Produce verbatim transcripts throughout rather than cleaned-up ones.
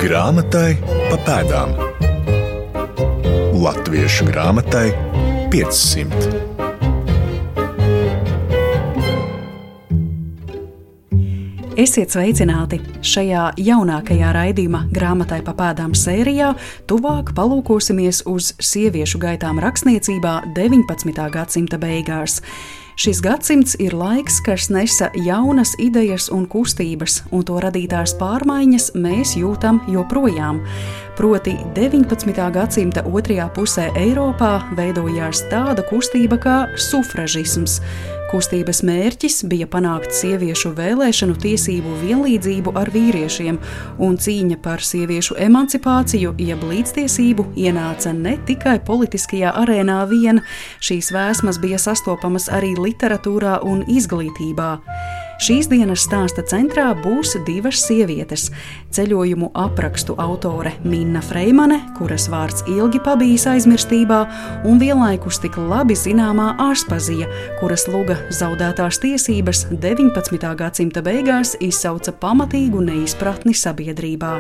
Grāmatai pa pēdām. Latviešu grāmatai piecsimt. Esiet sveicināti! Šajā jaunākajā raidījuma Grāmatai pa pēdām sērijā tuvāk palūkosimies uz sieviešu gaitām rakstniecībā deviņpadsmitā gadsimta beigās. Šis gadsimts ir laiks, kas nesa jaunas idejas un kustības, un to radītās pārmaiņas mēs jūtam joprojām. Proti deviņpadsmitā gadsimta otrajā pusē Eiropā veidojās tāda kustība kā sufražisms. Kustības mērķis bija panākt sieviešu vēlēšanu tiesību vienlīdzību ar vīriešiem, un cīņa par sieviešu emancipāciju, jeb līdztiesību, ienāca ne tikai politiskajā arēnā vien, šīs vēsmas bija sastopamas arī literatūrā un izglītībā. Šīs dienas stāsta centrā būs divas sievietes – ceļojumu aprakstu autore Minna Freimane, kuras vārds ilgi pabijis aizmirstībā, un vienlaikus tik labi zināmā Aspazija, kuras luga zaudētās tiesības deviņpadsmitā gadsimta beigās izsauca pamatīgu neizpratni sabiedrībā.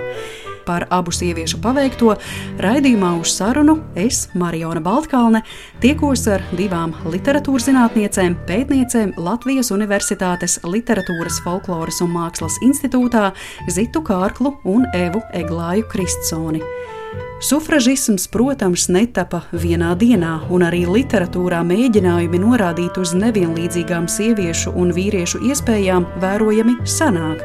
Par abu sieviešu paveikto raidījumā uz sarunu es, Mariona Baltkalne, tiekos ar divām literatūrzinātniecēm, pētniecēm Latvijas Universitātes Literatūras, folkloras un mākslas institūtā Zitu Kārklu un Evu Eglāju Kristsoni. Sufražisms, protams, netapa vienā dienā, un arī literatūrā mēģinājumi norādīt uz nevienlīdzīgām sieviešu un vīriešu iespējām vērojami sanāk.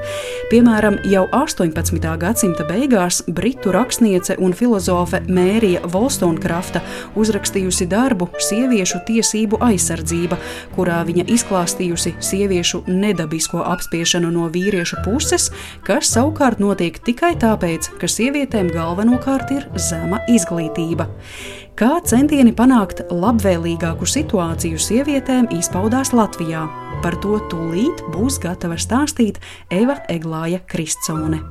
Piemēram, jau astoņpadsmitā gadsimta beigās britu rakstniece un filozofe Mērija Volstonkrafta uzrakstījusi darbu Sieviešu tiesību aizsardzība, kurā viņa izklāstījusi sieviešu nedabisko apspiešanu no vīriešu puses, kas savukārt notiek tikai tāpēc, ka sievietēm galvenokārt ir zema izglītība. Kā centieni panākt labvēlīgāku situāciju sievietēm izpaudās Latvijā? Par to tūlīt būs gatava stāstīt Eva Eglāja Kristsone.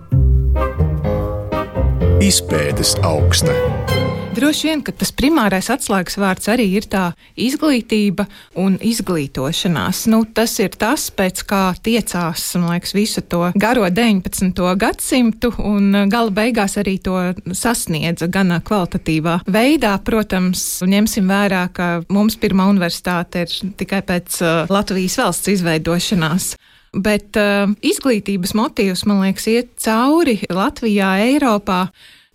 Izpētes augsne. Droši vien, ka tas primārais atslēgas vārds arī ir tā izglītība un izglītošanās. Nu, tas ir tas, pēc kā tiecās, man liekas, visu to garo deviņpadsmito gadsimtu un gala beigās arī to sasniedza gan kvalitatīvā veidā. Protams, ņemsim vērā, ka mums pirmā universitāte ir tikai pēc uh, Latvijas valsts izveidošanās. Bet uh, izglītības motīvs, man liekas, iet cauri Latvijā, Eiropā.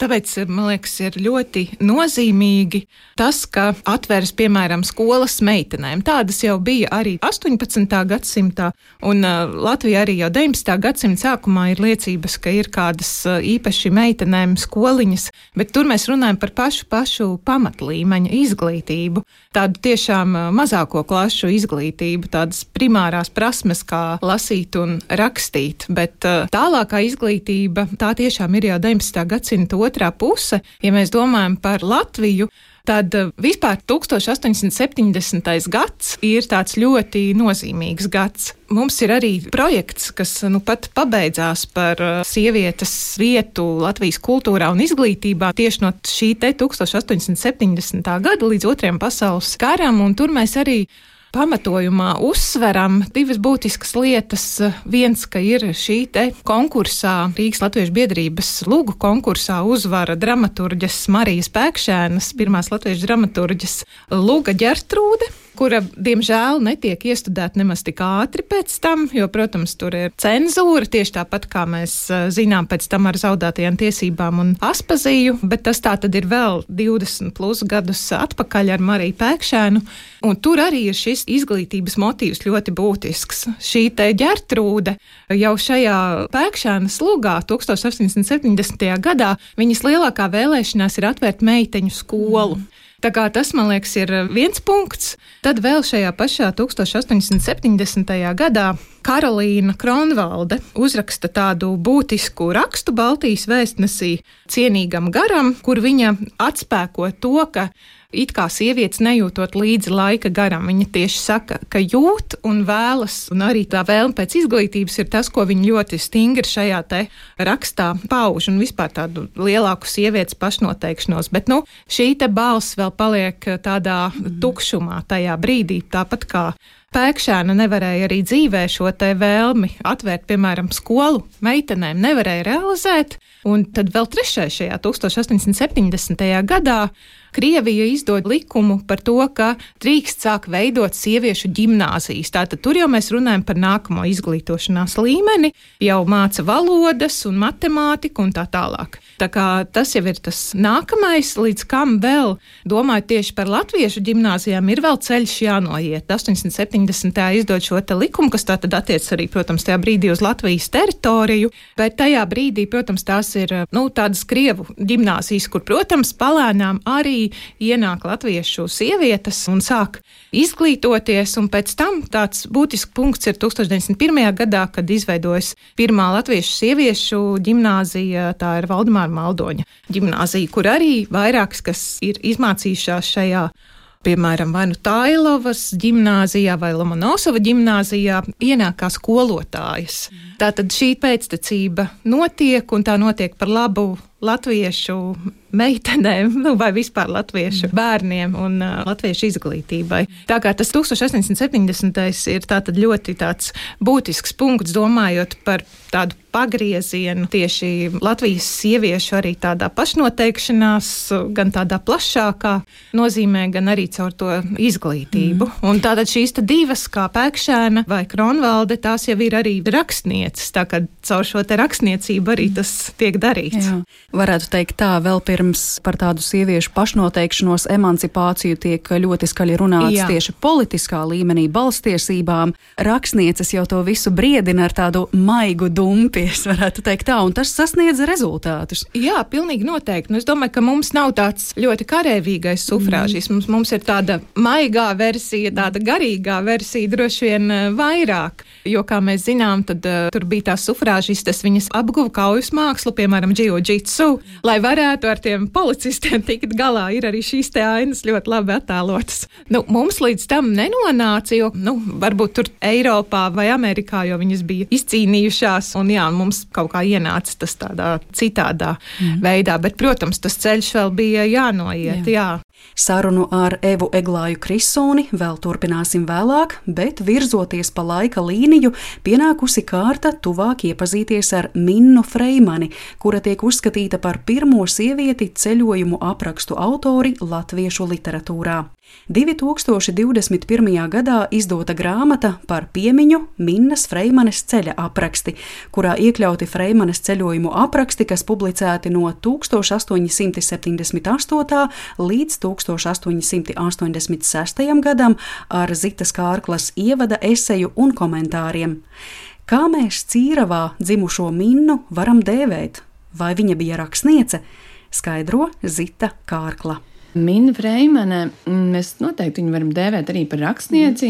Tāpēc, man liekas, ir ļoti nozīmīgi tas, ka atveras, piemēram, skolas meitenēm. Tādas jau bija arī astoņpadsmitā gadsimtā, un uh, Latvija arī jau deviņpadsmitā gadsimta sākumā ir liecības, ka ir kādas uh, īpaši meitenēm skoliņas, bet tur mēs runājam par pašu pašu pamatlīmeņa izglītību, tādu tiešām uh, mazāko klašu izglītību, tādas primārās prasmes, kā lasīt un rakstīt, bet uh, tālākā izglītība, tā tiešām ir jau deviņpadsmitā gadsimta otrā puse. Ja mēs domājam par Latviju, tad vispār tuksstoš astoņsimt septiņdesmitais gads ir tāds ļoti nozīmīgs gads. Mums ir arī projekts, kas nu pat pabeidzās par sievietes vietu Latvijas kultūrā un izglītībā tieši no šī te tuksstoš astoņsimt septiņdesmitā gada līdz otrajam pasaules karam, un tur mēs arī pamatojumā uzsveram divas būtiskas lietas. Viens, ka ir šī te konkursā, Rīgas Latviešu biedrības lugu konkursā uzvara dramaturģes Marijas Pēkšēnas, pirmās latviešu dramaturģes luga Ģertrūde, kura, diemžēl, netiek iestudēta nemaz tik ātri pēc tam, jo, protams, tur ir cenzūra, tieši tāpat kā mēs zinām pēc tam ar zaudētajām tiesībām un Aspaziju, bet tas tā tad ir vēl divdesmit plus gadus atpakaļ ar Mariju Pēkšēnu, un tur arī ir šis izglītības motīvs ļoti būtisks. Šī te Ģertrūde jau šajā Pēkšēnas lugā tuksstoš astoņsimt septiņdesmitajā gadā viņas lielākā vēlēšanās ir atvērt meiteņu skolu. Mm. Tā kā tas, man liekas, ir viens punkts. Tad vēl šajā pašā tuksstoš astoņsimt septiņdesmitajā gadā Karolīna Kronvalde uzraksta tādu būtisku rakstu Baltijas vēstnesī Cienīgam garam, kur viņa atspēko to, ka it kā sievietes nejūtot līdzi laika garam. Viņa tieši saka, ka jūt un vēlas, un arī tā vēlme pēc izglītības ir tas, ko viņa ļoti stingri šajā te rakstā pauž, un vispār tādu lielāku sievietes pašnoteikšanos. Bet, nu, šī te balss vēl paliek tādā tukšumā tajā brīdī, tāpat kā Pēkšēna nevarēja arī dzīvē šo te vēlmi atvērt, piemēram, skolu meitenēm, nevarēja realizēt. Un tad vēl trešais šajā tūkstoš astoņsimt septiņdesmitajā gadā Krievija izdod likumu par to, ka drīkst sāk veidot sieviešu ģimnāzijas. Tātad tur jau mēs runājam par nākamo izglītošanās līmeni, jau māca valodas un matemātiku un tā tālāk. Tā kā tas jau ir tas nākamais, līdz kam vēl, domājot tieši par latviešu ģimnāzijām, ir vēl ceļš jānoiet. astoņsimt septiņdesmitajā izdod šo te likumu, kas tātad attiec arī, protams, tajā brīdī uz Latvijas teritoriju, bet tajā brīdī, protams, tās ir, nu, tādas Krievu ģimnāzijas, kur, protams, palēnām arī ienāk latviešu sievietes un sāk izglītoties, un pēc tam tāds būtisks punkts ir tūkstoš deviņsimt pirmajā gadā, kad izveidojas pirmā latviešu sieviešu ģimnāzija, tā ir Valdemāra Maldoņa ģimnāzija, kur arī vairākas, kas ir izmācījušās šajā, piemēram, vai nu Tailovas ģimnāzijā vai Lomonosova ģimnāzijā, ienāk kā skolotājas. Tātad šī pēctecība notiek, un tā notiek par labu latviešu meitenēm, nu, vai vispār latviešu bērniem un uh, latviešu izglītībai. Tā kā tas tūkstoš astoņsimt septiņdesmitais ir tātad ļoti tāds būtisks punkts, domājot par tādu pagriezienu tieši Latvijas sieviešu arī tādā pašnoteikšanās, gan tādā plašākā nozīmē, gan arī caur to izglītību. Mm. Un tātad šīs te divas, kā Pēkšēna vai Kronvalde, tās jau ir arī rakstnieces, tā kā caur šo te rakstniecību arī tas tiek darīts. Jā. Varētu teikt tā, vēl pirms par tādu sieviešu pašnoteikšanos, emancipāciju tiek ļoti skaļi runāts. Jā. Tieši politiskā līmenī, balstiesībām. Rakstnieces jau to visu briedina ar tādu maigu dumpi, es varētu teikt tā, un tas sasniedz rezultātus. Jā, pilnīgi noteikti. Nu, es domāju, ka mums nav tāds ļoti karēvīgais sufrāžis. Mm. Mums, mums ir tāda maigā versija, tāda garīgā versija droši vien vairāk. Jo, kā mēs zinām, tad uh, tur bija tās sufrāžistes, viņas apguva kaujas mākslu, piemēram, jiu-jitsu, lai varētu ar tiem policistiem tikt galā. Ir arī šīs te ainas ļoti labi attēlotas. Nu, mums līdz tam nenonāca, jo, nu, varbūt tur Eiropā vai Amerikā, jo viņas bija izcīnījušās, un jā, mums kaut kā ienāca tas tādā citādā mm. veidā, bet, protams, tas ceļš vēl bija jānoiet, jā. jā. Sarunu ar Evu Eglāju Krisoni vēl turpināsim vēlāk, bet virzoties pa laika līniju, pienākusi kārta tuvāk iepazīties ar Minnu Freimani, kura tiek uzskatīta par pirmo sievieti ceļojumu aprakstu autori latviešu literatūrā. divi tūkstoši divdesmit pirmajā gadā izdota grāmata par piemiņu Minnas Freimanes ceļa apraksti, kurā iekļauti Freimanes ceļojumu apraksti, kas publicēti no tūkstoš astoņi simti septiņdesmit astotā līdz tūkstoš astoņi simti astoņdesmit sestajam gadam ar Zitas Kārklas ievada eseju un komentāriem. Kā mēs Cīravā dzimušo Minnu varam dēvēt? Vai viņa bija rakstniece? Skaidro Zita Kārkla. Minna Freimane, mēs noteikti viņu varam dēvēt arī par rakstnieci,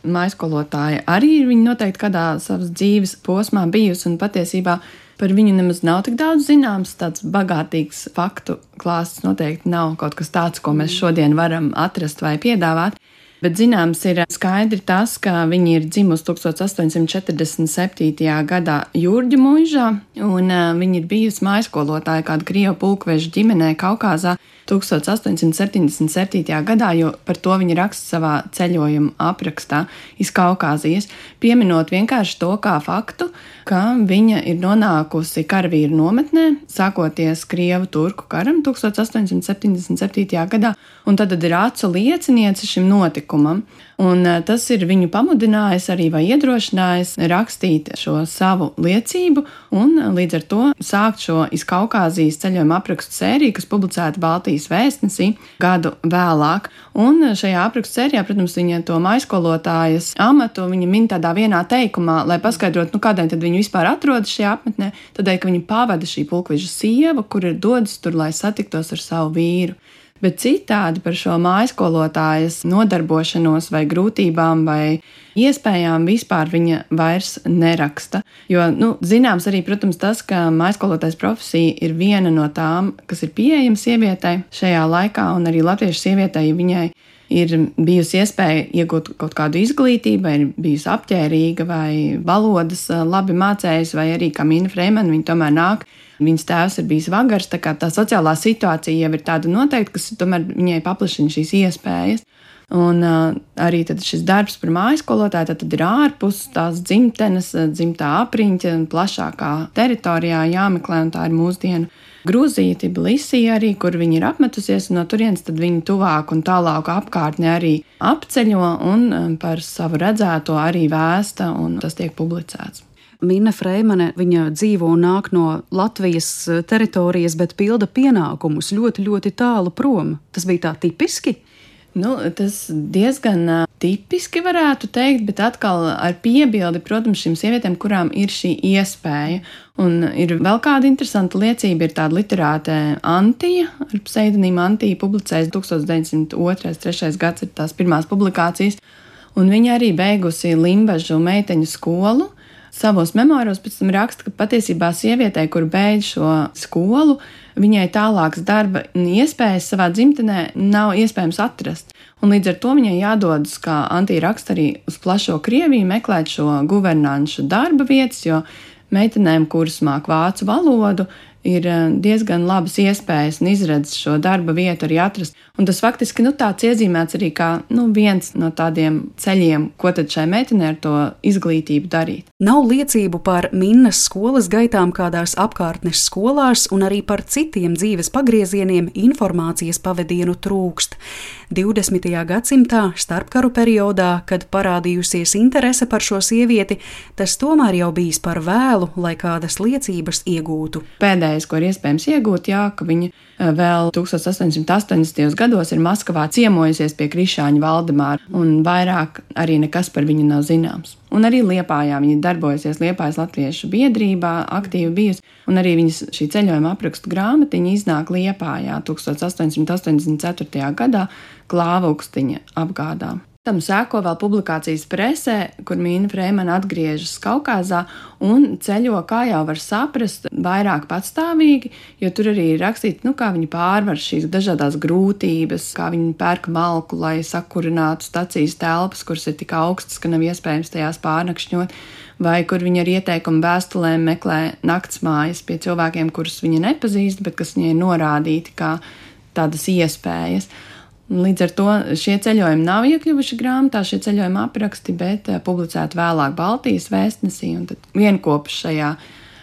mājskolotāja arī ir viņa noteikti kādā savas dzīves posmā bijusi, un patiesībā par viņu nemaz nav tik daudz zināms, tāds bagātīgs faktu klāsts noteikti nav kaut kas tāds, ko mēs šodien varam atrast vai piedāvāt. Bet zināms ir skaidri tas, ka viņa ir dzimusi tūkstoš astoņi simti četrdesmit septītajā gadā Jurģu muižā, un uh, viņa ir bijusi mājskolotāja kāda Krievu pulkveža ģimenē Kaukāzā tūkstoš astoņi simti septiņdesmit septītajā gadā, jo par to viņa raksta savā ceļojuma aprakstā iz Kaukāzijas, pieminot vienkārši to kā faktu, ka viņa ir nonākusi karavīru nometnē, sākoties Krievu turku karam tūkstoš astoņi simti septiņdesmit septītajā gadā, un tad ir acu lieciniece šim notikumam. Un tas ir viņu pamudinājis arī vai iedrošinājis rakstīt šo savu liecību un līdz ar to sākt šo iz Kaukāzijas ceļojuma aprakstu sēriju, kas publicēta Baltijas vēstnesī gadu vēlāk. Un šajā aprakstu sērijā, protams, viņa to mājskolotājas amatu viņa min tādā vienā teikumā, lai paskaidrotu, nu kādēļ tad viņa vispār atrodas šajā apmetnē, tādēļ, ka viņa pavada šī pulkveža sieva, kur ir dodas tur, lai satiktos ar savu vīru. Bet citādi par šo mājskolotājas nodarbošanos vai grūtībām vai iespējām vispār viņa vairs neraksta. Jo, nu, zināms arī, protams, tas, ka mājskolotājas profesija ir viena no tām, kas ir pieejama sievietei šajā laikā, un arī latviešu sievietei viņai ir bijusi iespēja iegūt kaut kādu izglītību, vai ir bijusi apģērīga, vai valodas labi mācējusi, vai arī kā Minna Freimane, viņa tomēr nāk. Viņas tēvs ir bijis vagars, tā kā tā sociālā situācija jau ir tāda noteikta, kas tomēr viņai paplašina šīs iespējas. Un uh, arī tad šis darbs par mājskolotāju tad, tad ir ārpus tās dzimtenes, dzimtā apriņķa, plašākā teritorijā jāmeklē, un tā ir mūsdienu Grūzija, Tbilisija arī, kur viņi ir apmetusies, un no turienes tad viņi tuvāk un tālāk apkārtni arī apceļo un par savu redzēto arī vēsta, un tas tiek publicēts. Minna Freimane, viņa dzīvo un nāk no Latvijas teritorijas, bet pilda pienākumus ļoti, ļoti tālu prom. Tas bija tā tipiski? Nu, tas diezgan uh, tipiski varētu teikt, bet atkal ar piebildi, protams, šīm sievietēm, kurām ir šī iespēja. Un ir vēl kāda interesanta liecība, ir tāda literāte Antija, ar pseidonīmu Antija publicējas tūkstoš deviņsimt otrais trešais gads ir tās pirmās publikācijas, un viņa arī beigusi Limbažu meiteņu skolu. Savos memoāros pēc tam raksta, ka patiesībā sievietei, kur beidz šo skolu, viņai tālākas darba iespējas savā dzimtenē nav iespējams atrast. Un līdz ar to viņai jādodas, kā Antija raksta, arī uz plašo Krieviju meklēt šo guvernanšu darba vietas, jo meitenēm, kuras māk vācu valodu, ir diezgan labas iespējas un izredzes šo darba vietu arī atrast. Un tas faktiski nu, tāds iezīmēts arī kā nu, viens no tādiem ceļiem, ko tad šai meitenei ar to izglītību darīt. Nav liecību par Minnas skolas gaitām kādās apkārtnes skolās, un arī par citiem dzīves pagriezieniem informācijas pavadienu trūkst. divdesmitajā gadsimtā, starpkaru periodā, kad parādījusies interese par šo sievieti, tas tomēr jau bijis par vēlu, lai kādas liecības iegūtu. Pēdējais, ko ir iespējams iegūt, jā, ka viņa vēl tūkstoš astoņsimt astoņdesmitajos gados ir Maskavā ciemojusies pie Krišāņa Valdemāra, un vairāk arī nekas par viņu nav zināms. Un arī Liepājā viņa darbojusies Liepājas latviešu biedrībā, aktīvi bijusi, un arī viņas šī ceļojuma aprakstu grāmatiņa iznāk Liepājā tūkstoš astoņsimt astoņdesmit ceturtajā gadā Klāvukstiņa apgādā. Tam sēko vēl publikācijas presē, kur Minna Freimane atgriežas Kaukazā un ceļo, kā jau var saprast, vairāk patstāvīgi, jo tur arī ir rakstīts, nu, kā viņi pārvar šīs dažādās grūtības, kā viņi pērk malku, lai sakurinātu stacijas telpas, kuras ir tik augstas, ka nav iespējams tajās pārnakšņot, vai kur viņi ar ieteikumu vēstulēm meklē naktsmājas pie cilvēkiem, kurus viņa nepazīst, bet kas viņai ir norādīti kā tādas iespējas. Līdz ar to šie ceļojumi nav iekļuvuši grāmatā, šie ceļojuma apraksti, bet publicēti vēlāk Baltijas vēstnesī un tad vienkopus šajā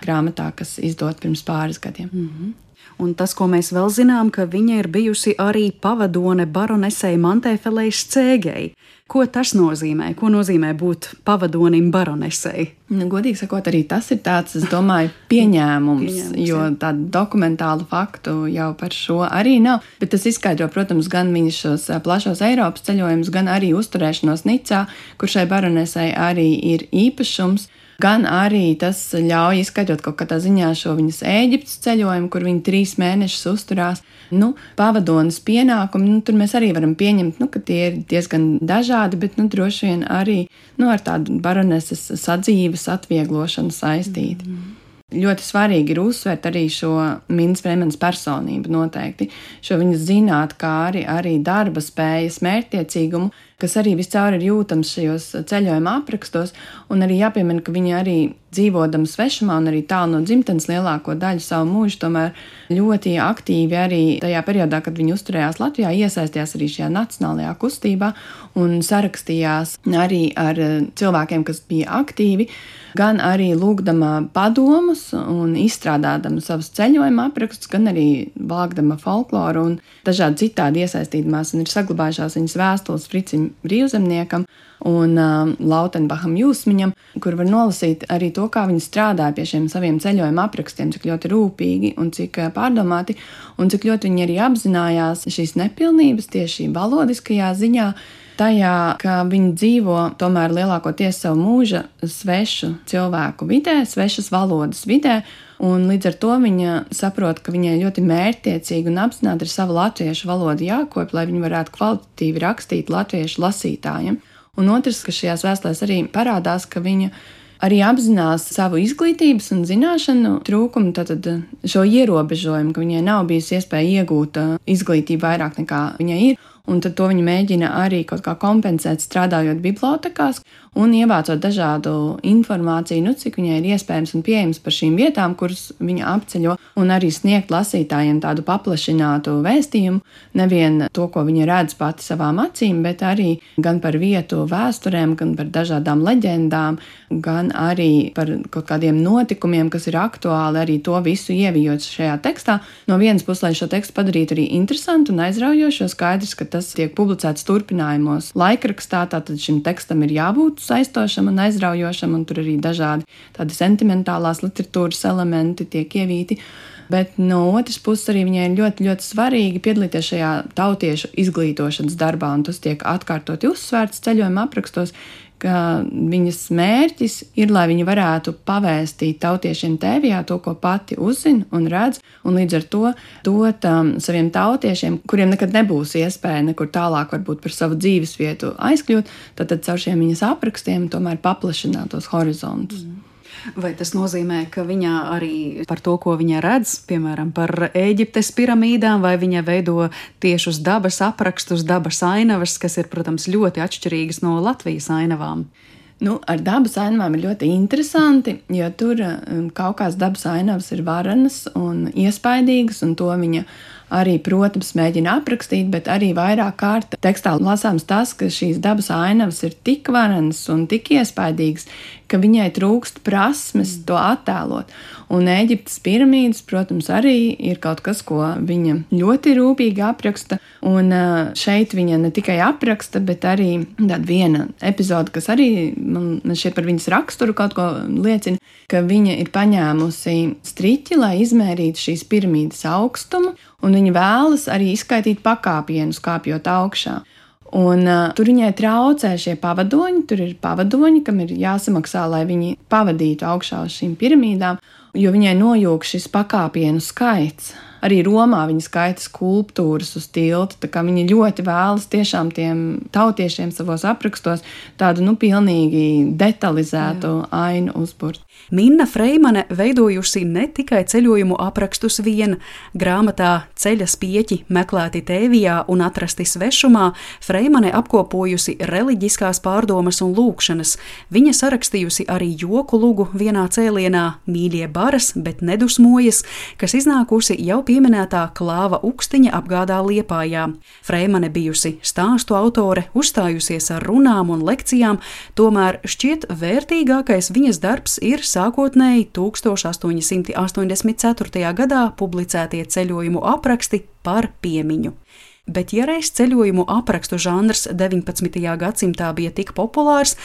grāmatā, kas izdot pirms pāris gadiem. Mm-hmm. Un tas, ko mēs vēl zinām, ka viņa ir bijusi arī pavadone baronesei Mantēfelei Scēgei. Ko tas nozīmē? Ko nozīmē būt pavadonim baronesei? Nu, godīgi sakot, arī tas ir tāds, es domāju, pieņēmums, pieņēmums jo tādu dokumentālu faktu jau par šo arī nav. Bet tas izskaidro, protams, gan viņas šos plašos Eiropas ceļojumus, gan arī uzturēšanos Nicā, kur šai baronesei arī ir īpašums. Gan arī tas ļauj izskaidrot kaut kādā ziņā šo viņas Ēģiptes ceļojumu, kur viņa trīs mēnešus uzturās. Nu, pavadonas pienākumi, nu, tur mēs arī varam pieņemt, nu, ka tie ir diezgan dažādi, bet nu, droši vien arī nu, ar tādu baroneses sadzīves atvieglošanu saistīti. Mm-hmm. Ļoti svarīgi ir uzsvērt arī šo Minnas Freimanes personību noteikti, šo viņas zinātkāri, arī darba spējas, mērķtiecīgumu, kas arī viscaur ir jūtams šajos ceļojuma aprakstos, un arī jāpiemina, ka viņa arī dzīvodama svešumā un arī tālu no dzimtenes lielāko daļu savu mūžu, tomēr ļoti aktīvi arī tajā periodā, kad viņa uzturējās Latvijā, iesaistījās arī šajā nacionālajā kustībā un sarakstījās arī ar cilvēkiem, kas bija aktīvi, gan arī lūgdama padomus un izstrādādama savus ceļojuma aprakstus, gan arī vākdama folkloru un dažādi citādi iesaistīdamās, un ir saglabājušās viņas vēstules Fricim Brīvzemniekam un uh, Lautenbacham Jūsmiņam, kur var nolasīt arī to, kā viņi strādāja pie šiem saviem ceļojuma aprakstiem, cik ļoti rūpīgi un cik pārdomāti, un cik ļoti viņi arī apzinājās šīs nepilnības tieši valodiskajā ziņā, tajā, ka viņi dzīvo tomēr lielākoties savu mūža svešu cilvēku vidē, svešas valodas vidē, un līdz ar to viņa saprot, ka viņai ļoti mērķtiecīgi un apzināti ir sava latviešu valoda jākopja, lai viņi varētu kvalitatīvi rakstīt latviešu lasītājiem. Un otrs, ka šajās vēstulēs arī parādās, ka viņa arī apzinās savu izglītības un zināšanu trūkumu, tātad šo ierobežojumu, ka viņai nav bijusi iespēja iegūt izglītību vairāk nekā viņai ir, un tad to viņa mēģina arī kaut kā kompensēt strādājot bibliotekās, un ievācot dažādu informāciju, nu, cik viņai ir iespējams un pieejams par šīm vietām, kuras viņa apceļo, un arī sniegt lasītājiem tādu paplašinātu vēstījumu, nevien to, ko viņa redz pati savām acīm, bet arī gan par vietu vēsturēm, gan par dažādām leģendām, gan arī par kaut kādiem notikumiem, kas ir aktuāli, arī to visu ievijot šajā tekstā. No vienas puses, lai šo tekstu padarītu arī interesantu un aizraujošu, jo skaidrs, ka tas tiek publicēts turpinājumos laikrakstā, tātad šim tekstam ir jābūt saistošam un aizraujošam, un tur arī dažādi tādi sentimentālās literatūras elementi tiek ievīti. Bet no otras puses arī viņai ir ļoti, ļoti svarīgi piedalīties šajā tautiešu izglītošanas darbā, un tas tiek atkārtoti uzsvērts ceļojuma aprakstos, ka viņas mērķis ir, lai viņi varētu pavēstīt tautiešiem Tēvijā to, ko pati uzzina un redz, un līdz ar to dot um, saviem tautiešiem, kuriem nekad nebūs iespēja nekur tālāk varbūt par savu dzīvesvietu aizkļūt, tad, tad caur šiem viņas aprakstiem tomēr paplašināt tos horizontus. Mm. Vai tas nozīmē, ka viņa arī par to, ko viņa redz, piemēram, par Ēģiptes piramīdām, vai viņa veido tiešus dabas aprakstus, dabas ainavas, kas ir, protams, ļoti atšķirīgas no Latvijas ainavām? Nu, ar dabas ainavām ir ļoti interesanti, jo tur kaut kādas dabas ainavas ir varenas un iespaidīgas, un to viņa arī, protams, mēģina aprakstīt, bet arī vairāk kārt tekstā lasāms tas, ka šīs dabas ainavas ir tik varenas un tik iespaidīgas, ka viņai trūkst prasmes to attēlot. Un Ēģiptes piramīdas, protams, arī ir kaut kas, ko viņa ļoti rūpīgi apraksta, un šeit viņa ne tikai apraksta, bet arī tāda viena epizode, kas arī man šeit par viņas raksturu kaut ko liecina, ka viņa ir paņēmusi striķi, lai izmērītu šīs piramīdas augstumu, un viņa vēlas arī izskaitīt pakāpienus, kāpjot augšā. Un uh, tur viņai traucē šie pavadoņi, tur ir pavadoņi, kam ir jāsamaksā, lai viņi pavadītu augšā uz šīm piramīdām, jo viņai nojūg šis pakāpienu skaits. Arī Romā viņa skaita skulptūras uz tilta, tā kā viņa ļoti vēlas tiešām tiem tautiešiem savos aprakstos tādu, nu, pilnīgi detalizētu Jā. ainu uzburt. Minna Freimane veidojusi ne tikai ceļojumu aprakstus viena. Grāmatā Ceļa spieķi meklēti Tēvijā un atrasti svešumā Freimane apkopojusi reliģiskās pārdomas un lūkšanas. Viņa sarakstījusi arī joku lugu vienā cēlienā Mīļie baras, bet nedusmojas, kas iznākusi jau pieminētā Klāva Ukstiņa apgādā Liepājā. Freimane bijusi stāstu autore, uzstājusies ar runām un lekcijām, tomēr šķiet vērtīgākais viņas darbs ir sākotnēji tūkstoš astoņi simti astoņdesmit ceturtajā gadā publicētie ceļojumu apraksti par piemiņu. Bet ja reiz ceļojumu aprakstu žanrs deviņpadsmitajā gadsimtā bija tik populārs,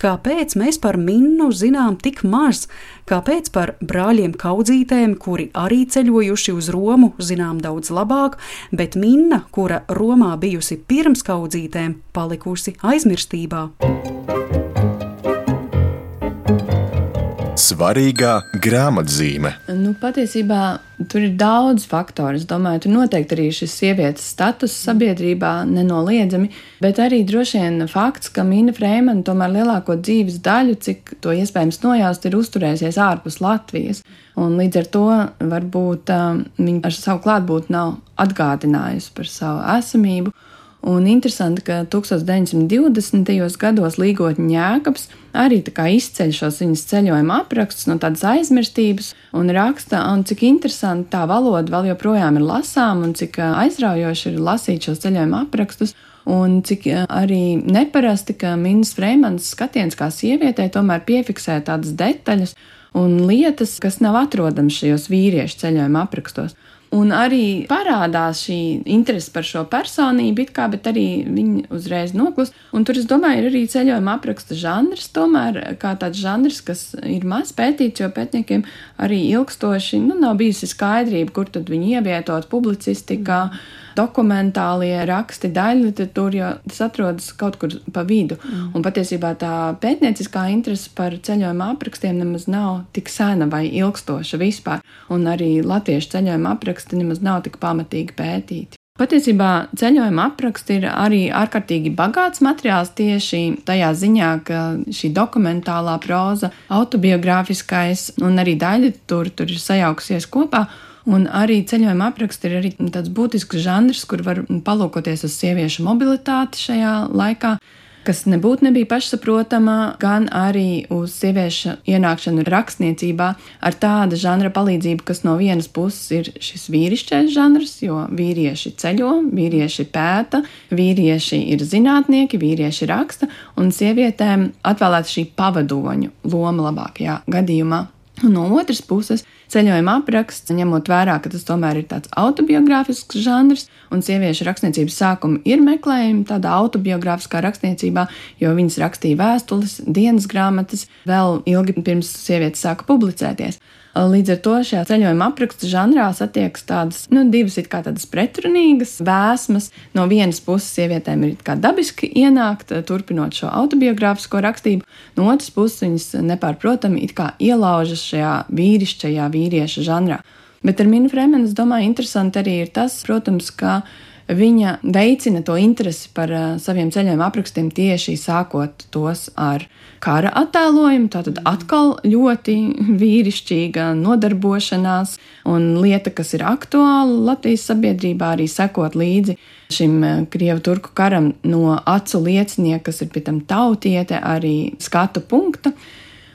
kāpēc mēs par Minnu zinām tik maz? Kāpēc par brāļiem Kaudzītēm, kuri arī ceļojuši uz Romu, zinām daudz labāk, bet Minna, kura Romā bijusi pirms Kaudzītēm, palikusi aizmirstībā? Svarīgā grāmatzīme. Nu, patiesībā tur ir daudz faktoru. Es domāju, tur noteikti arī šis sievietes status sabiedrībā nenoliedzami, bet arī droši vien fakts, ka Minna Freimane tomēr lielāko dzīves daļu, cik to iespējams nojaust, ir uzturējusies ārpus Latvijas. Un līdz ar to varbūt um, viņa ar savu klātbūtni nav atgādinājusi par savu esamību. Un interesanti, ka tūkstoš deviņsimt divdesmitajos gados Līgotņa Jēkabs arī tā kā izceļ šos viņas ceļojuma aprakstus no tādas aizmirstības un raksta, un cik interesanti tā valoda vēl joprojām ir lasām un cik aizraujoši ir lasīt šos ceļojuma aprakstus. Un cik arī neparasti, ka Minnas Freimanes skatiens kā sievietei tomēr piefiksē tādas detaļas un lietas, kas nav atrodamas šajos vīriešu ceļojuma aprakstos. Un arī parādās šī interese par šo personību, it kā, bet arī viņi uzreiz noklust. Un tur, es domāju, ir arī ceļojuma apraksta žanrs, tomēr kā tāds žanrs, kas ir maz pētīts, jo pētniekiem arī ilgstoši, nu, nav bijusi skaidrība, kur tad viņi ievietot publicistikā, dokumentālie raksti, daļliteratūra, jo tas atrodas kaut kur pa vidu. Mm. Un patiesībā tā pētnieciskā interese par ceļojuma aprakstiem nemaz nav tik sena vai ilgstoša vispār, un arī latviešu ceļojuma apraksti nemaz nav tik pamatīgi pētīti. Patiesībā ceļojuma apraksti ir arī ārkārtīgi bagāts materiāls tieši tajā ziņā, ka šī dokumentālā proza, autobiogrāfiskais un arī daļliteratūra tur ir sajaukusies kopā. Un arī ceļojuma apraksti ir arī tāds būtisks žanrs, kur var palūkoties uz sieviešu mobilitāti šajā laikā. kas nebūtu nebija pašsaprotama, gan arī uz sieviešu ienākšanu rakstniecībā ar tāda žanra palīdzību, kas no vienas puses ir šis vīrišķais žanrs, jo vīrieši ceļo, vīrieši pēta, vīrieši ir zinātnieki, vīrieši raksta, un sievietēm atvēlēta šī pavadoņu loma labākajā gadījumā. Un no otras puses, ceļojuma apraksts, ņemot vērā, ka tas tomēr ir tāds autobiogrāfisks žanrs, un sieviešu rakstniecības sākumi ir meklējumi tādā autobiogrāfiskā rakstniecībā, jo viņas rakstīja vēstules, dienas grāmatas vēl ilgi pirms sievietes sāka publicēties. Līdz ar to šajā ceļojuma apraksta žanrā satiekas tādas, nu, divas it kā tādas pretrunīgas vēsmas. No vienas puses sievietēm ir it kā dabiski ienākt, turpinot šo autobiogrāfisko rakstību, no otras puses viņas nepārprotami it kā ielaužas šajā vīrišķajā vīrieša žanrā. Bet ar Minnu Freimanu, es domāju, interesanti arī ir tas, protams, ka viņa veicina to interesi par uh, saviem ceļojuma aprakstiem tieši sākot tos ar kara attēlojumu, tātad atkal ļoti vīrišķīga nodarbošanās un lieta, kas ir aktuāla Latvijas sabiedrībā, arī sekot līdzi šim Krievu-turku karam no acu liecinieka, kas ir pie tam tautiete, arī skatu punkta.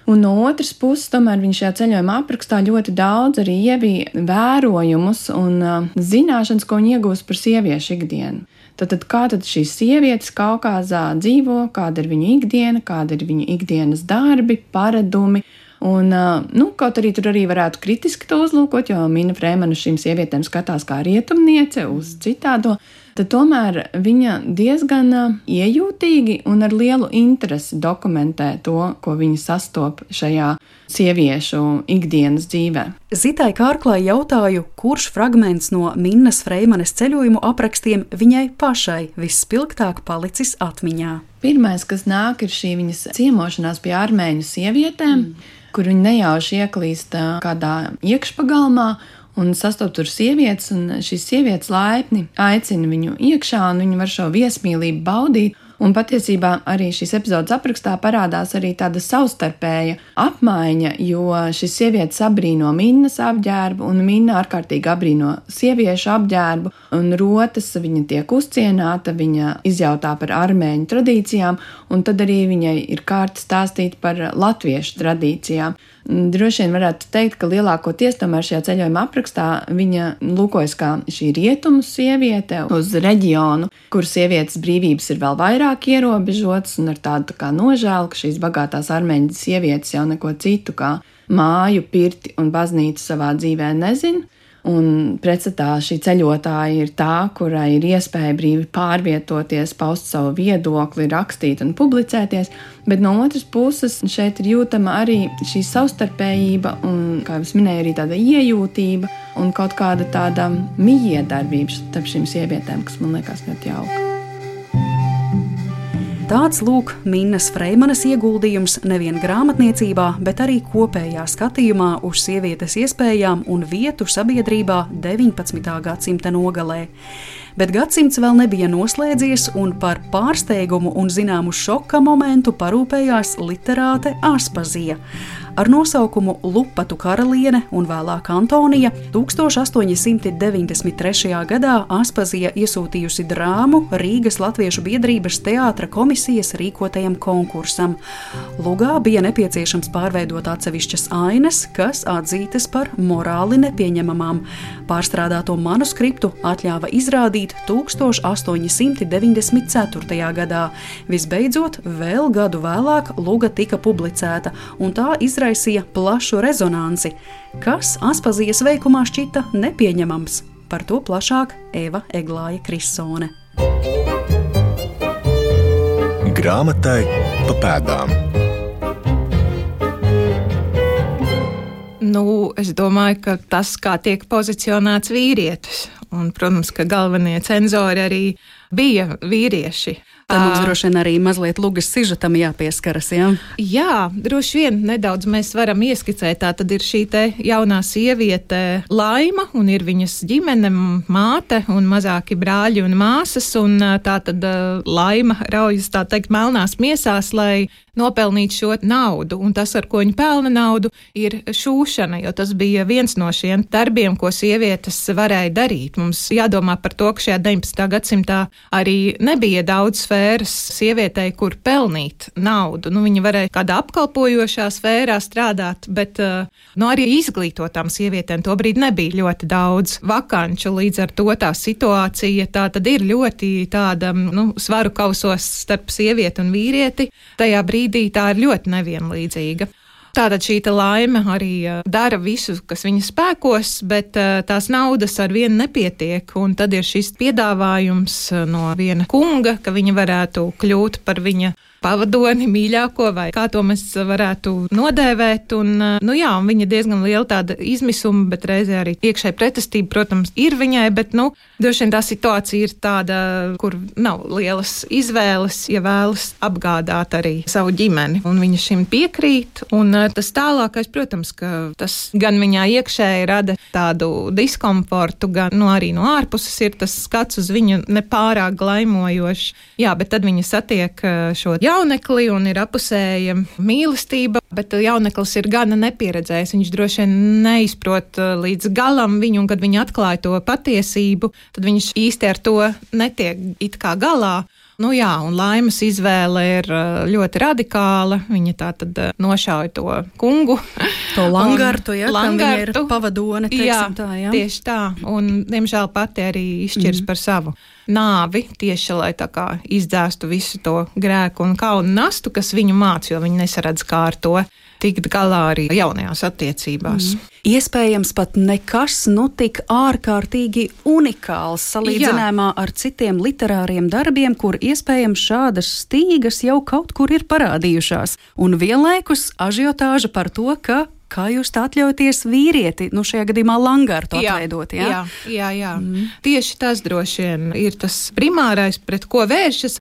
Un no otras puses, tomēr viņš šajā ceļojuma aprakstā ļoti daudz arī ievīja vērojumus un uh, zināšanas, ko viņi iegūst par sieviešu ikdienu. Tātad, kā tad šīs sievietes Kaukāzā dzīvo, kāda ir viņu ikdiena, kāda ir viņu ikdienas darbi, paradumi. Un, uh, nu, kaut arī tur arī varētu kritiski to uzlūkot, jo Minna Freimana šīm sievietēm skatās kā rietumniece uz citādo. Tad tomēr viņa diezgan iejūtīgi un ar lielu interesi dokumentē to, ko viņa sastop šajā sieviešu ikdienas dzīvē. Zitai Kārklai jautāju, kurš fragments no Minnas Freimanes ceļojumu aprakstiem viņai pašai visspilgtāk palicis atmiņā. Pirmais, kas nāk, ir šī viņas ciemošanās pie armēņu sievietēm, mm. kur viņa nejauši ieklīst kādā iekšpagalmā, un sastopas tur sievietes, un šīs sievietes laipni aicina viņu iekšā, un viņi var šo viesmīlību baudīt. Un patiesībā arī šīs epizodes aprakstā parādās arī tāda savstarpēja apmaiņa, jo šīs sievietes abrīno Minnas apģērbu, un Minna ārkārtīgi abrīno sieviešu apģērbu, un rotas viņa tiek uzcienāta, viņa izjautā par armēņu tradīcijām, un tad arī viņai ir kārta stāstīt par latviešu tradīcijām. Droši vien varētu teikt, ka lielākoties tomēr šajā ceļojuma aprakstā viņa lūkojas kā šī rietumu sieviete uz reģionu, kur sievietes brīvības ir vēl vairāk ierobežotas, un ar tādu tā kā nožēlu, ka šīs bagātās armēņu sievietes jau neko citu kā māju, pirti un baznīcu savā dzīvē nezina. Un pretstatā šī ceļotāja ir tā, kurai ir iespēja brīvi pārvietoties, paust savu viedokli, rakstīt un publicēties, bet no otras puses šeit ir jūtama arī šī savstarpējība un, kā jau es minēju, arī tāda iejūtība un kaut kāda tāda mijiedarbība starp šīm sievietēm, kas man liekas ļoti jauka. Tāds lūk Minnas Freimanes ieguldījums nevien grāmatniecībā, bet arī kopējā skatījumā uz sievietes iespējām un vietu sabiedrībā deviņpadsmitā gadsimta nogalē. Bet gadsimts vēl nebija noslēdzies, un par pārsteigumu un zināmu šoka momentu parūpējās literāte Aspazija. Ar nosaukumu Lupatu karaliene un vēlāk Antonija tūkstoš astoņi simti deviņdesmit trešajā gadā Aspazija iesūtījusi drāmu Rīgas Latviešu biedrības teātra komisijas rīkotajam konkursam. Lugā bija nepieciešams pārveidot atsevišķas ainas, kas atzītas par morāli nepieņemamām. Pārstrādāto manuskriptu atļāva izrādīt tūkstoš astoņi simti deviņdesmit ceturtajā gadā. Visbeidzot, vēl gadu vēlāk Luga tika publicēta, un tā izraisīja plašu rezonanci, kas Aspazijas veikumā šķita nepieņemams. Par to plašāk Eva Eglāja Krissone. Grāmatai pa pēdām. Nu, es domāju, ka tas, kā tiek pozicionēts vīrietis, un, protams, ka galvenie cenzori arī bija vīrieši. Tā mums droši vien arī mazliet Lugas sižetam jāpieskaras, jā? Jā, droši vien nedaudz mēs varam ieskicēt. Tā tad ir šī te jaunā sieviete Laima, un ir viņas ģimene, māte un mazāki brāļi un māsas, un tā tad Laima raujas, tā teikt, melnās miesās, lai nopelnītu šo naudu, un tas, ar ko viņa pelna naudu, ir šūšana, jo tas bija viens no šiem darbiem, ko sievietes varēja darīt. Mums jādomā par to, ka šajā deviņpadsmitā gadsimtā arī nebija daudz sfēras sievietei, kur pelnīt naudu. Nu, viņa varēja kādā apkalpojošā sfērā strādāt, bet nu, arī izglītotām sievietēm tobrīd nebija ļoti daudz vakanču. Līdz ar to tā situācija tā tad ir ļoti tāda nu, svaru kausos starp sievieti un vīrieti. Tajā brīdī tā ir ļoti nevienlīdzīga. Tātad šī laime arī dara visu, kas viņa spēkos, bet tās naudas ar vienu nepietiek. Un tad ir šis piedāvājums no viena kunga, ka viņa varētu kļūt par viņa pavadoni, mīļāko, vai kā to mēs varētu nodēvēt. Un, nu jā, un viņa diezgan liela tāda izmisuma, bet reizē arī iekšēja pretestība, protams, ir viņai, bet, nu, droši vien tā situācija ir tāda, kur nav lielas izvēles, ja vēlas apgādāt arī savu ģimeni. Un viņa šim piekrīt, un tas tālākais, protams, ka tas gan viņā iekšēji rada tādu diskomfortu, gan, nu, arī no ārpuses ir tas skats uz viņu nepārāk glaimojošs. Jā, bet tad viņa satiek šo jaunekli un ir apusēja mīlestība, bet jauneklis ir gana nepieredzējis. Viņš droši vien neizprot līdz galam viņu, un kad viņa atklāja to patiesību, tad viņš īsti ar to netiek it kā galā. Nu jā, un Laimas izvēle ir ļoti radikāla. Viņa tā tad nošauja to kungu. To Langartu, ja, Langartu. Kam viņa ir pavadone, teiksim jā, tā, jā. Tieši tā. Un, diemžēl, pati arī izšķirs mm. par savu nāvi, tieši lai tā kā izdzēstu visu to grēku un kaunu nastu, kas viņu māc, jo viņi nesaredz kā ar to tikt galā arī jaunajās attiecībās. Mm. Iespējams pat nekas nu tik ārkārtīgi unikāls salīdzinājumā ar citiem literāriem darbiem, kur iespējams šādas stīgas jau kaut kur ir parādījušās. Un vienlaikus ažiotāža par to, ka kā jūs tā atļauties vīrieti, nu šajā gadījumā Langartu atveidot, jā? Jā, jā, jā. Mm. Tieši tas droši vien ir tas primārais, pret ko vēršas.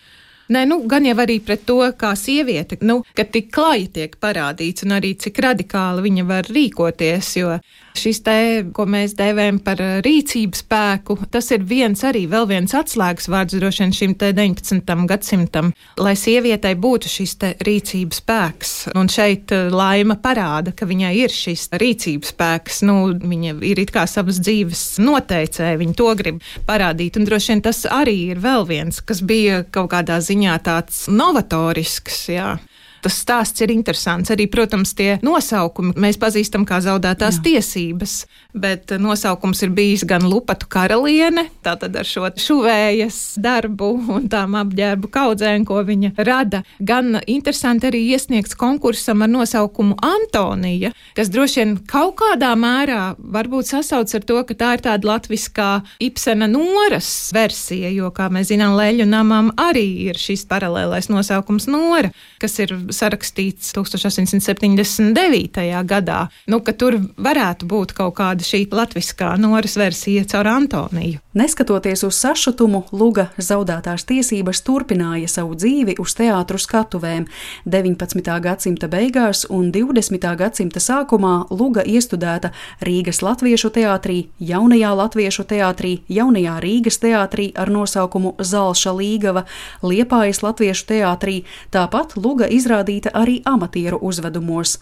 Nē, nu, gan jau arī pret to, kā sieviete, nu, ka tik klaji tiek parādīts un arī cik radikāli viņa var rīkoties, jo šis te, ko mēs dēvējam par rīcības spēku, tas ir viens arī vēl viens atslēgas vārds droši vien šim te deviņpadsmitajam gadsimtam, lai sievietei būtu šis te rīcības spēks. Un šeit Laima parāda, ka viņai ir šis rīcības spēks, nu, viņa ir it kā savas dzīves noteicēja, viņa to grib parādīt, un droši vien tas arī ir vēl viens, kas bija kaut kādā ziņā tāds novatorisks, jā. Tas stāsts ir interesants. Arī, protams, tie nosaukumi mēs pazīstam kā zaudētās Jā. tiesības, bet nosaukums ir bijis gan Lupatu karaliene, tātad ar šo šuvējas darbu un tām apģērbu kaudzēm, ko viņa rada, gan interesanti arī iesniegts konkursam ar nosaukumu Antonija, kas droši vien kaut kādā mērā varbūt sasauc ar to, ka tā ir tāda latviskā Ibsena Noras versija, jo, kā mēs zinām, Leļu namam arī ir šis paralēlais nosaukums Nora, kas ir sarakstīts tūkstoš astoņsimt septiņdesmit devītajā gadā, nu, ka tur varētu būt kaut kāda šī latviskā Noras versija caur Antoniju. Neskatoties uz sašutumu, Luga zaudētās tiesības turpināja savu dzīvi uz teātru skatuvēm. deviņpadsmitā gadsimta beigās un divdesmitā gadsimta sākumā Luga iestudēta Rīgas Latviešu teātrī, Jaunajā Latviešu teātrī, Jaunajā Rīgas teātrī ar nosaukumu Zalša Līgava, Liepājas Latviešu teātrī, tāpat Luga izrādīta arī amatieru uzvedumos.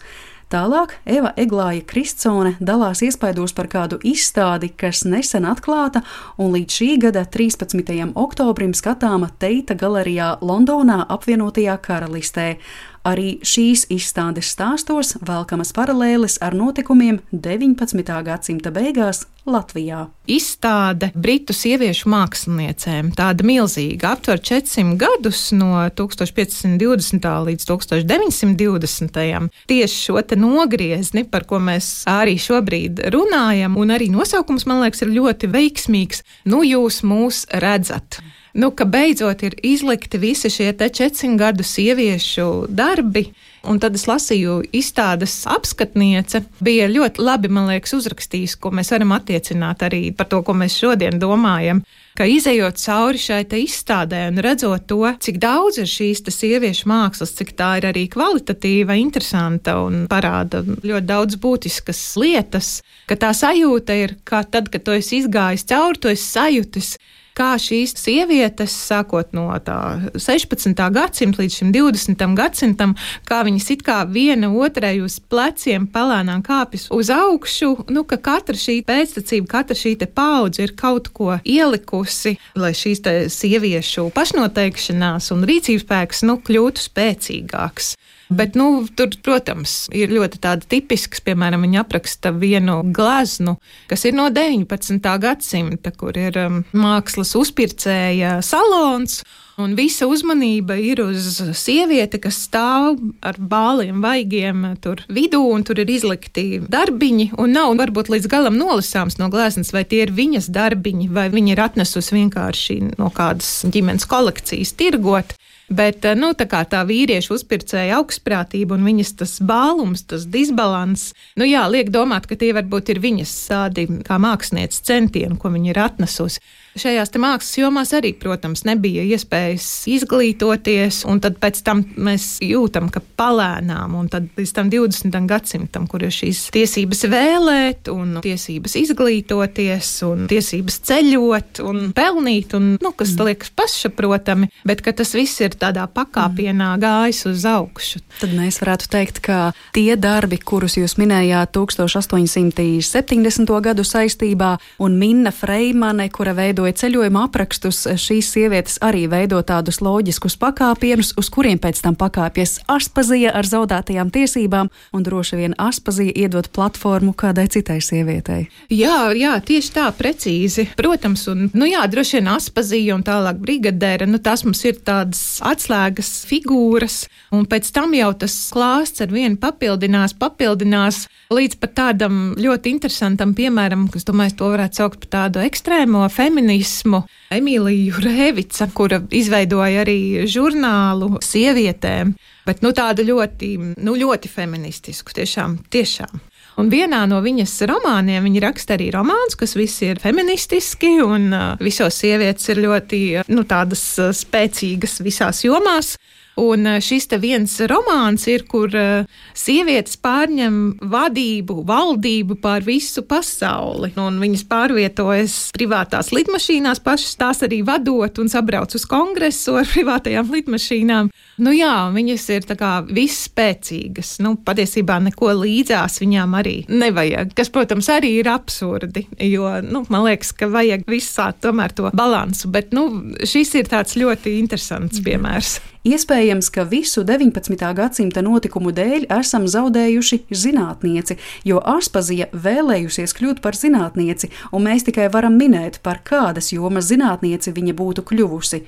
Tālāk Eva Eglāja Kristsone dalās iespaidos par kādu izstādi, kas nesen atklāta un līdz šī gada trīspadsmitajam oktobrim skatāma Teita galerijā Londonā apvienotajā karalistē. Arī šīs izstādes stāstos velkamas paralēles ar notikumiem deviņpadsmitā gadsimta beigās Latvijā. Izstāde britu sieviešu māksliniecēm, tāda milzīga, aptver četrsimt gadus no tūkstoš piecsimt divdesmitā līdz tūkstoš deviņsimt divdesmitajam. Tieši šo te nogriezni, par ko mēs arī šobrīd runājam, un arī nosaukums, man liekas, ir ļoti veiksmīgs. Nu, jūs mūs redzat. Nu, ka beidzot ir izlikti visi šie te četrsimt gadu sieviešu darbi, un tad es lasīju izstādes apskatniece, bija ļoti labi, man liekas, uzrakstījis, ko mēs varam attiecināt arī par to, ko mēs šodien domājam, ka izejot cauri šai te izstādē un redzot to, cik daudz ir šīs te sieviešu mākslas, cik tā ir arī kvalitatīva, interesanta un parāda ļoti daudz būtiskas lietas, ka tā sajūta ir, kā tad, kad tu esi izgājis cauri, tu esi sajūtis, kā šīs sievietes, sākot no tā sešpadsmitā gadsimta līdz šim divdesmitam gadsimtam, kā viņas it kā viena otrai uz pleciem palēnām kāpjas uz augšu, nu, ka katra šī pēctecība, katra šī te paudze ir kaut ko ielikusi, lai šīs te sieviešu pašnoteikšanās un rīcības spēks, nu, kļūtu spēcīgāks. Bet, nu, tur, protams, ir ļoti tāda tipisks, piemēram, viņa apraksta vienu gleznu, kas ir no deviņpadsmitā gadsimta, kur ir um, mākslas uzpircēja salons, un visa uzmanība ir uz sievieti, kas stāv ar bāliem vaigiem tur vidū, un tur ir izlikti darbiņi, un nav varbūt līdz galam nolasāms no gleznas, vai tie ir viņas darbiņi, vai viņa ir atnesusi vienkārši no kādas ģimenes kolekcijas tirgot. Bet, nu, tā kā tā vīriešu uzpircēja augstprātība un viņas tas bālums, tas disbalans, nu jā, liek domāt, ka tie varbūt ir viņas tādi kā mākslinieces centieni, ko viņa ir atnesusi. Šajās te mākslas jomās arī, protams, nebija iespējas izglītoties, un tad pēc tam mēs jūtam, ka palēnām, un tad līdz tam divdesmitam gadsimtam, kur ir šīs tiesības vēlēt, un tiesības izglītoties, un tiesības ceļot, un pelnīt, un, nu, kas mm. liekas pašsaprotami, bet ka tas viss ir tādā pakāpienā gājis uz augšu. Tad mēs varētu teikt, ka tie darbi, kurus jūs minējāt tūkstoš astoņsimt septiņdesmito gadu saistībā, un Minna Freimane, kura veido ceļojuma aprakstus, šīs sievietes arī veido tādus loģiskus pakāpienus, uz kuriem pēc tam pakāpjas Aspazija ar zaudētajām tiesībām, un droši vien Aspazija iedod platformu kādai citai sievietei. Jā, jā, tieši tā, precīzi. Protams, un, nu jā, droši vien Aspazija un tālāk brigadēra, nu tās mums ir tādas atslēgas figūras, un pēc tam jau tas klāsts ar vienu papildinās, papildinās līdz pat tādam ļoti interesantam piemēram, kas, domāju, to varētu saukt par tādu ekstrēmo feminismu. Emīlija Rēvica, kura izveidoja arī žurnālu sievietēm, bet, nu, tādu ļoti, nu, ļoti feministisku, tiešām, tiešām. Un vienā no viņas romāniem viņa raksta arī romāns, kas visi ir feministiski, un uh, visos sievietes ir ļoti, nu, tādas uh, spēcīgas visās jomās. Un šis te viens romāns ir, kur uh, sievietes pārņem vadību, valdību pār visu pasauli. Un viņas pārvietojas privātās lidmašīnās, pašas tās arī vadot un sabrauc uz kongresu ar privātajām lidmašīnām. Nu jā, viņas ir tā kā visspēcīgas. Nu, patiesībā neko līdzās viņām arī nevajag, kas, protams, arī ir absurdi, jo, nu, man liekas, ka vajag visā tomēr to balansu. Bet, nu, šis ir tāds ļoti interesants piemērs. Iespējams, ka visu deviņpadsmitā gadsimta notikumu dēļ esam zaudējuši zinātnieci, jo Aspazija vēlējusies kļūt par zinātnieci, un mēs tikai varam minēt, par kādas jomas zinātnieci viņa būtu kļuvusi.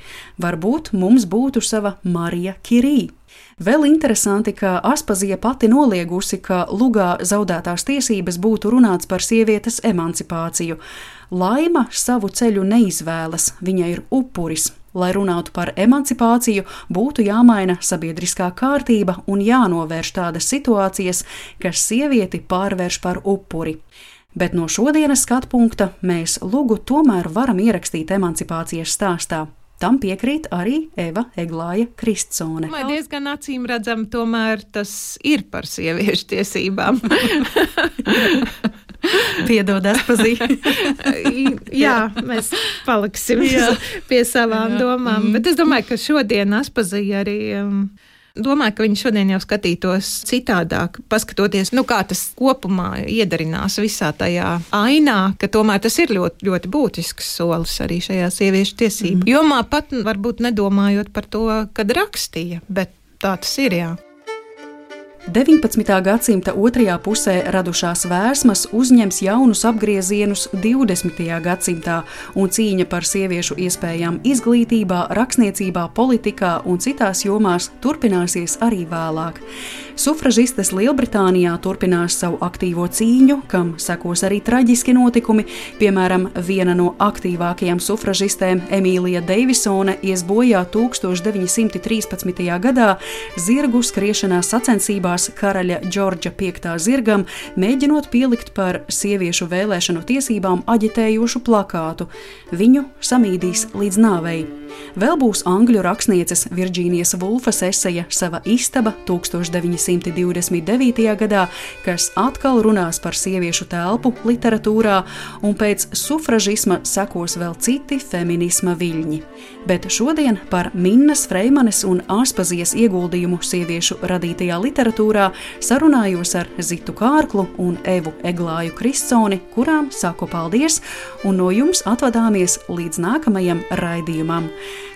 Varbūt mums būtu sava Marija Kirī. Vēl interesanti, ka Aspazija pati noliegusi, ka lugā zaudētās tiesības būtu runāts par sievietes emancipāciju. Laima savu ceļu neizvēlas, viņa ir upuris. Lai runātu par emancipāciju, būtu jāmaina sabiedriskā kārtība un jānovērš tādas situācijas, kas sievieti pārvērš par upuri. Bet no šodienas skatu punkta mēs lugu tomēr varam ierakstīt emancipācijas stāstā. Tam piekrīt arī Eva Eglāja Kristsone. Man diezgan acīm redzam, tomēr tas ir par sieviešu tiesībām. Piedod, Aspazija. Jā, mēs paliksim Jā. pie savām Jā. domām. Bet es domāju, ka šodien Aspazija arī... Um, Domāju, ka viņi šodien jau skatītos citādāk, paskatoties, nu, kā tas kopumā iedarinās visā tajā ainā, ka tomēr tas ir ļoti, ļoti būtisks solis arī šajā sieviešu tiesību mm. jomā, pat varbūt nedomājot par to, kad rakstīja, bet tā tas ir, jā. deviņpadsmitā gadsimta otrajā pusē radušās vērsmas uzņems jaunus apgriezienus divdesmitajā gadsimtā, un cīņa par sieviešu iespējām izglītībā, rakstniecībā, politikā un citās jomās turpināsies arī vēlāk. Sufražistes Lielbritānijā turpinās savu aktīvo cīņu, kam sekos arī traģiski notikumi. Piemēram, viena no aktīvākajām sufražistēm, Emīlija Deivisone, ies bojā tūkstoš deviņi simti trīspadsmitajā gadā zirgu skriešanā sacensībās karaļa Džordža piekta zirgam, mēģinot pielikt par sieviešu vēlēšanu tiesībām aģitējošu plakātu. Viņu samīdīs līdz nāvei. Vēl būs angļu rakstnieces Virģīnijas Vulfas eseja Sava istaba tūkstoš deviņi deviņsimt divdesmit devītajā gadā, kas atkal runās par sieviešu telpu literatūrā, un pēc sufražisma sekos vēl citi feminisma viļņi. Bet šodien par Minnas Freimanes un Aspazijas ieguldījumu sieviešu radītajā literatūrā sarunājos ar Zitu Kārklu un Evu Eglāju Kristsoni, kurām saku paldies, un no jums atvadāmies līdz nākamajam raidījumam.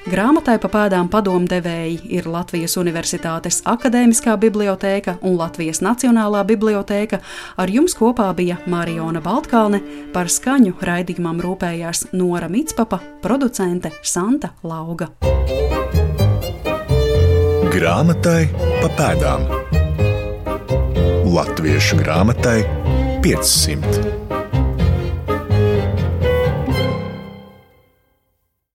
Grāmatai pa pēdām padomdevēji ir Latvijas Universitātes Akadēmiskā bibliotēka un Latvijas Nacionālā bibliotēka. Ar jums kopā bija Mariona Baltkalne, par skaņu raidījumam rūpējās Nora Mitspapa, producente Santa Lauga. Grāmatai pa pēdām. Latviešu grāmatai piecsimt.